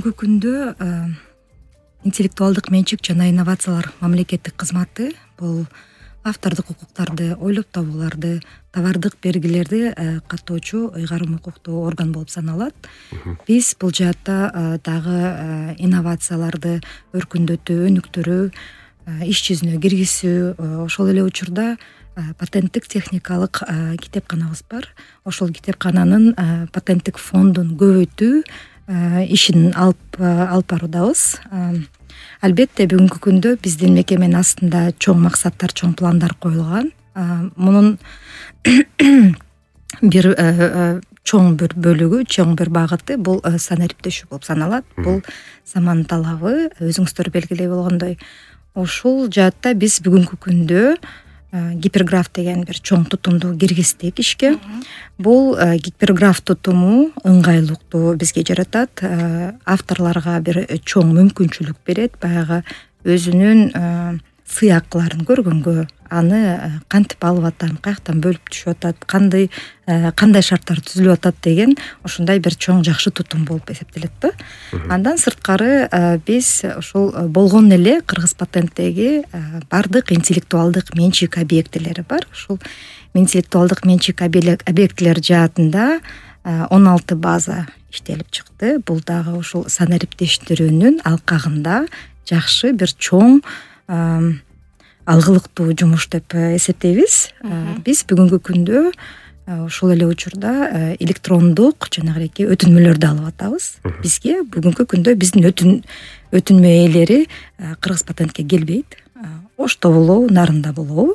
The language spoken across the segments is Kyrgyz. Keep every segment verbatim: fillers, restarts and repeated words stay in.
бүгүнкү күндө интеллектуалдык менчик жана инновациялар мамлекеттик кызматы бул автордук укуктарды ойлоп табууларды, товардык белгилерди каттоочу ыйгарым укуктуу орган болуп саналат. Биз бул жаатта дагы инновацияларды өркүндөтүү, өнүктүрүү, иш жүзүнө киргизүү, ошол эле учурда патенттик техникалык китепканабыз бар. Ошол китепкананын патенттик фондун көбөйтүү ишин алып алып баруудабыз. Албетте бүгүнкү күндө биздин мекеменин астында чоң максаттар, чоң пландар коюлган. Мунун бир чоң бир бөлүгү, чоң бир багыты бул санариптешүү болуп саналат. Бул заман талабы, өзүңүздөр белгилей болгондой. Ушул жаатта биз бүгүнкү күндө гиперграф деген бир чоң тутумду киргиздик ишке. Бул гиперграф тутуму ыңгайлыктуу бизге жаратат, авторлорго бир чоң мүмкүнчүлүк берет, баягы өзүнүн сыякчыларын көргөнгө, аны кантип алып атам, каяктан бөлүп түшүп атат, кандай кандай шарттар түзүлүп атат деген ушундай бир чоң жакшы тутум болуп эсептелет да. Андан сырткары биз ушул болгон эле Кыргыз патенттеги бардык интеллектуалдык менчик объектилери бар. Ушул интеллектуалдык менчик объектилер жаатында он алты база иштелип чыкты. Бул дагы ушул санариптештирүүнүн алкагында жакшы бир чоң алгылыктуу жумуш деп эсептейбиз. Биз бүгүнкү күндө ушул эле учурда электрондук жанагы өтүнмөлөрдү алып атабыз. Бизге бүгүнкү күндө биздин өтүн өтүнмө ээлери Кыргыз патентке келбейт. Ошто болобу, нарында болобу,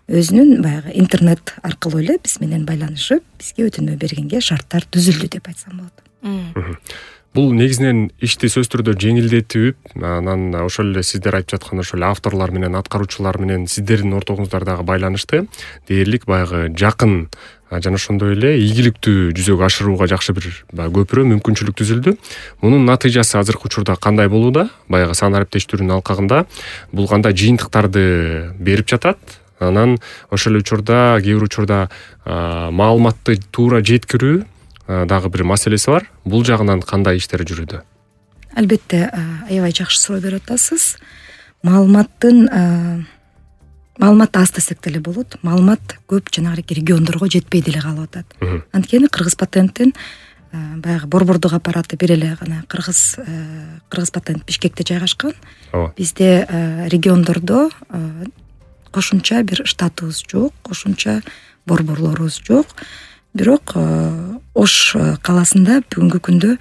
өзүнүн баягы интернет аркылуу эле биз менен байланышып, бизге өтүнмө бергенге шарттар түзүлдү деп айтсам болот. Бул негизинен ишти сөзсүз түрдө жеңилдетип, анан ошол эле сиздер айтып жаткан ошол авторлор менен, аткаруучулар менен сиздердин ортоңуздардагы байланышты дээрлик баягы жакын жана ошондой эле ийгиликтүү жүзөгө ашырууга жакшы бир көпүрө мүмкүнчүлүк түзүлдү. Мунун натыйжасы азыркы учурда кандай болууда? Баягы санариптештирүүнүн алкагында бул кандай жыйынтыктарды берип жатат? Анан ошол учурда кээ бир учурда маалыматты туура жеткирүү дагы бир маселеси бар. Бул жагынан кандай иштер жүрүүдө? Албетте, аябай жакшы суроо берип атасыз. Маалыматтын маалымат аз десек деле болот. Маалымат көп жанагы региондорго жетпей деле калып атат. Анткени Кыргыз патенттин баягы борбордук аппараты бир эле гана Кыргыз Кыргыз патент Бишкекте жайгашкан. Бизде региондордо кошумча бир штатыбыз жок, кошумча борборлорубуз жок. Бирок Ош каласында бүгүнкү күндө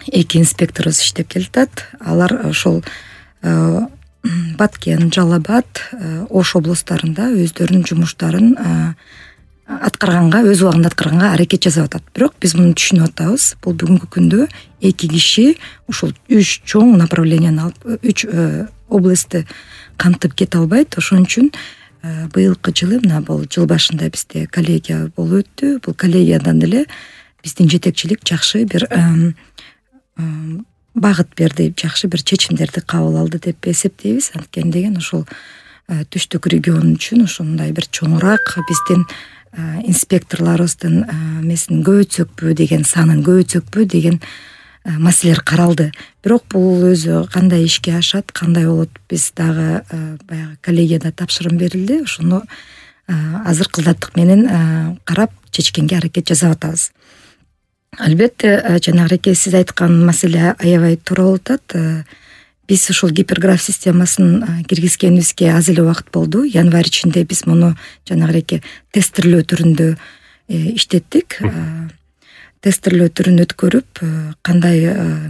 эки инспекторубуз иштеп келатат. Алар ошол Баткен, Жалал-Абад, Ош облустарында өздөрүнүн жумуштарын аткарганга, өз убагында аткарганга аракет жасап атат. Бирок биз муну түшүнүп атабыз. Бул бүгүнкү күндө эки киши ушул үч чоң направленияны алып, үч областты кантып кете албайт. Ошон үчүн быйылкы жылы, мына бул жыл башында бизде коллегия болуп өттү. Бул коллегиядан эле биздин жетекчилик жакшы бир багыт берди, жакшы бир чечимдерди кабыл алды деп эсептейбиз. Анткени деген ушул түштүк регион үчүн ушундай бир чоңураак биздин инспекторлорубуздун эмесин көбөйтсөкпү деген, санын көбөйтсөкпү деген маселелер каралды. Бирок бул өзү кандай ишке ашат, кандай болот, биз дагы баягы коллегияда тапшырым берилди. Ошону азыр кылдаттык менен карап чечкенге аракет жасап атабыз. Албетте, жанагы сиз айткан маселе аябай туура болуп атат. Биз ушул гиперграф системасын киргизгенибизге аз эле убакыт болду. Январь ичинде биз муну жанагы тестирлөө түрүндө иштеттик. Тестирлөө түрүн өткөрүп, кандай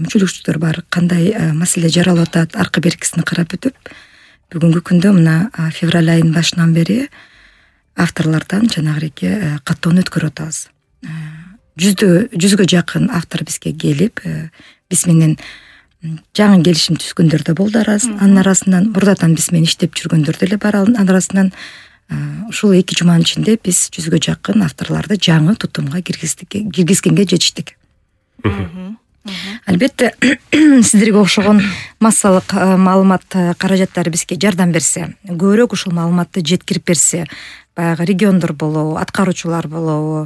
мүчөлүкчүлөр бар, кандай маселе жаралып атат, аркы беркисин карап өтүп, бүгүнкү күндө мына февраль айынын башынан бери авторлордон жанагы каттоону өткөрүп атабыз. Жүздө жүзгө жакын автор бизге келип, биз менен жаңы келишим түзгөндөр да болду. Анын арасынан мурдадан биз менен иштеп жүргөндөр деле бар. Анын арасынан ушул эки жуманын ичинде биз жүзгө жакын авторлорду жаңы тутумга киргизгенге жетиштик. Албетте, сиздерге окшогон массалык маалымат каражаттары бизге жардам берсе, көбүрөөк ушул маалыматты жеткирип берсе, баягы региондор болобу, аткаруучулар болобу,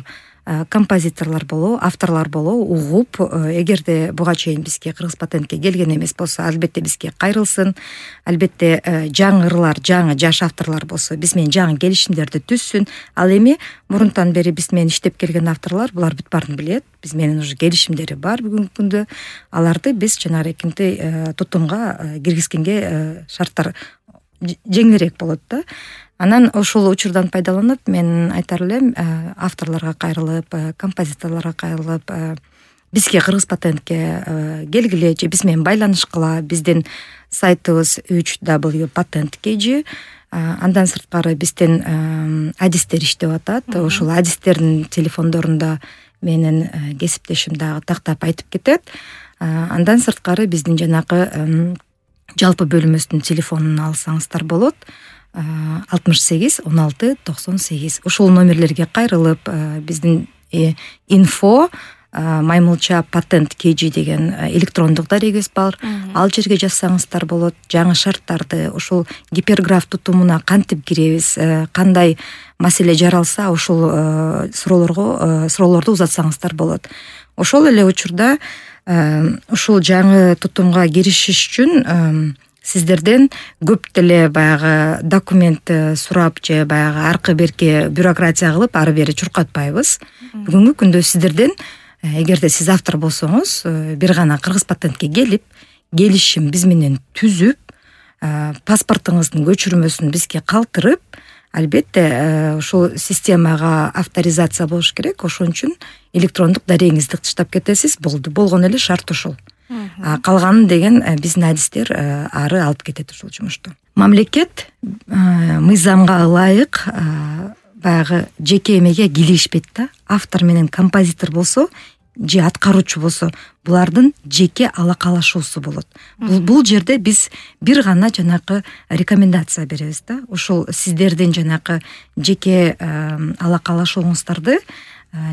композиторлор болобу, авторлор болобу угуп, эгерде буга чейин бизге кыргыз патентке келген эмес болсо, албетте бизге кайрылсын. Албетте жаңы ырлар, жаңы жаш авторлор болсо биз менен жаңы келишимдерди түзсүн. Ал эми мурунтан бери биз менен иштеп келген авторлор булар бүт баарын билет. Биз менен уже келишимдери бар бүгүнкү күндө. Аларды биз жанагы эркинтей тутумга киргизгенге шарттар жеңилирээк болот да. Анан ошол учурдан пайдаланып мен айтар элем, авторлорго кайрылып, композиторлорго кайрылып, бизге кыргыз патентке келгиле же биз менен байланышкыла. Биздин сайтыбыз үч дабл ю патент кей джи. Андан сырткары биздин адистер иштеп атат. Ошол адистердин телефондорунда менин кесиптешим дагы тактап айтып кетет. Андан сырткары биздин жанагы жалпы бөлүмүбүздүн телефонун алсаңыздар болот. алтымыш сегиз он алты токсон сегиз. Ошол номерлерге кайрылып, биздин инфо маймылча патент кей джи деген электрондук дарегибиз бар. Ал жерге жазсаңыздар болот. Жаңы шарттарды, ошол гиперграф тутумуна кантип киребиз, кандай маселе жаралса, ошол суроолорго суроолорду узатсаңыздар болот. Ошол эле учурда ушул жаңы тутумга киришиш үчүн сиздерден көп деле баягы документ сурап же баягы аркы берки бюрократия кылып ары бери чуркатпайбыз. Бүгүнкү күндө сиздерден, эгерде сиз автор болсоңуз, бир гана кыргыз патентке келип, келишим биз менен түзүп, паспортуңуздун көчүрмөсүн бизге калтырып, албетте ушул системага авторизация болуш керек. Ошон үчүн электрондук дарегиңизди тыштап кетесиз. Болду. Болгон эле шарт ушул. Калганын деген биздин адистер ары алып кетет ушул жумушту. Мамлекет мыйзамга ылайык баягы жеке эмеге кийлигишпейт да. Автор менен композитор болсо же аткаруучу болсо, булардын жеке алакалашуусу болот. Бул жерде биз бир гана жанакы рекомендация беребиз да. Ошол сиздердин жанакы жеке алакалашууңуздарды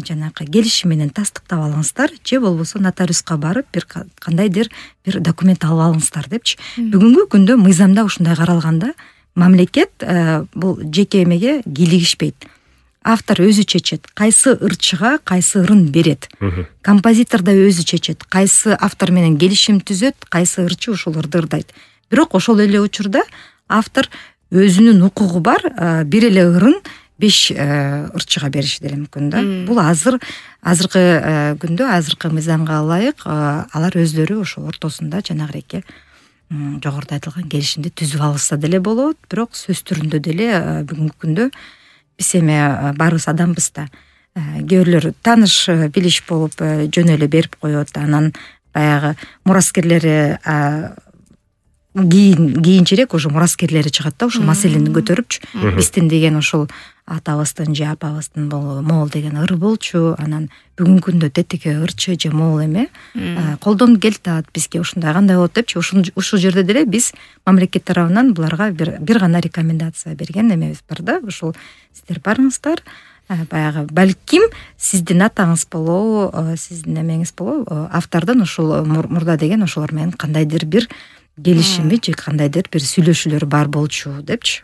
жанакы келишим менен тастыктап алыңыздар, же болбосо нотариуска барып бир кандайдыр бир документ алып алыңыздар депчи. Бүгүнкү күндө мыйзамда ушундай каралганда, мамлекет бул жеке эмеге кийлигишпейт. Автор өзү чечет, кайсы ырчыга кайсы ырын берет. Композитор да өзү чечет, кайсы автор менен келишим түзөт, кайсы ырчы ушул ырды ырдайт. Бирок ошол эле учурда автор өзүнүн укугу бар, бир эле ырын беш ырчыга бериши деле мүмкүн да. Бул азыр азыркы күндө, азыркы мыйзамга ылайык алар өзлөрү ошо ортосунда жанагыреке жогоруда айтылган келишимди түзүп алышса деле болот. Бирок сөз түрүндө деле бүгүнкү күндө биз эми баарыбыз адамбыз да. Кээ бирлөр тааныш билиш болуп жөн эле берип коет. Анан баягы мураскерлери кийин кийинчерээк уже мураскерлери чыгат да, ушул маселени көтөрүпчү. Биздин деген ушул атабыздын же апабыздын могул деген ыры болчу. Анан бүгүнкү күндө тетике ырчы же могул эме колдон келатат, бизге ушундай кандай болот депчи. Ушул жерде деле биз мамлекет тарабынан буларга бир бир гана рекомендация берген эмебиз бар да. Ушул сиздер барыңыздар, баягы балким сиздин атаңыз болобу, сиздин эмеңиз болобу, автордун ушул мурда деген ошолор менен кандайдыр бир келишими же кандайдыр бир сүйлөшүүлөр бар болчу депчи.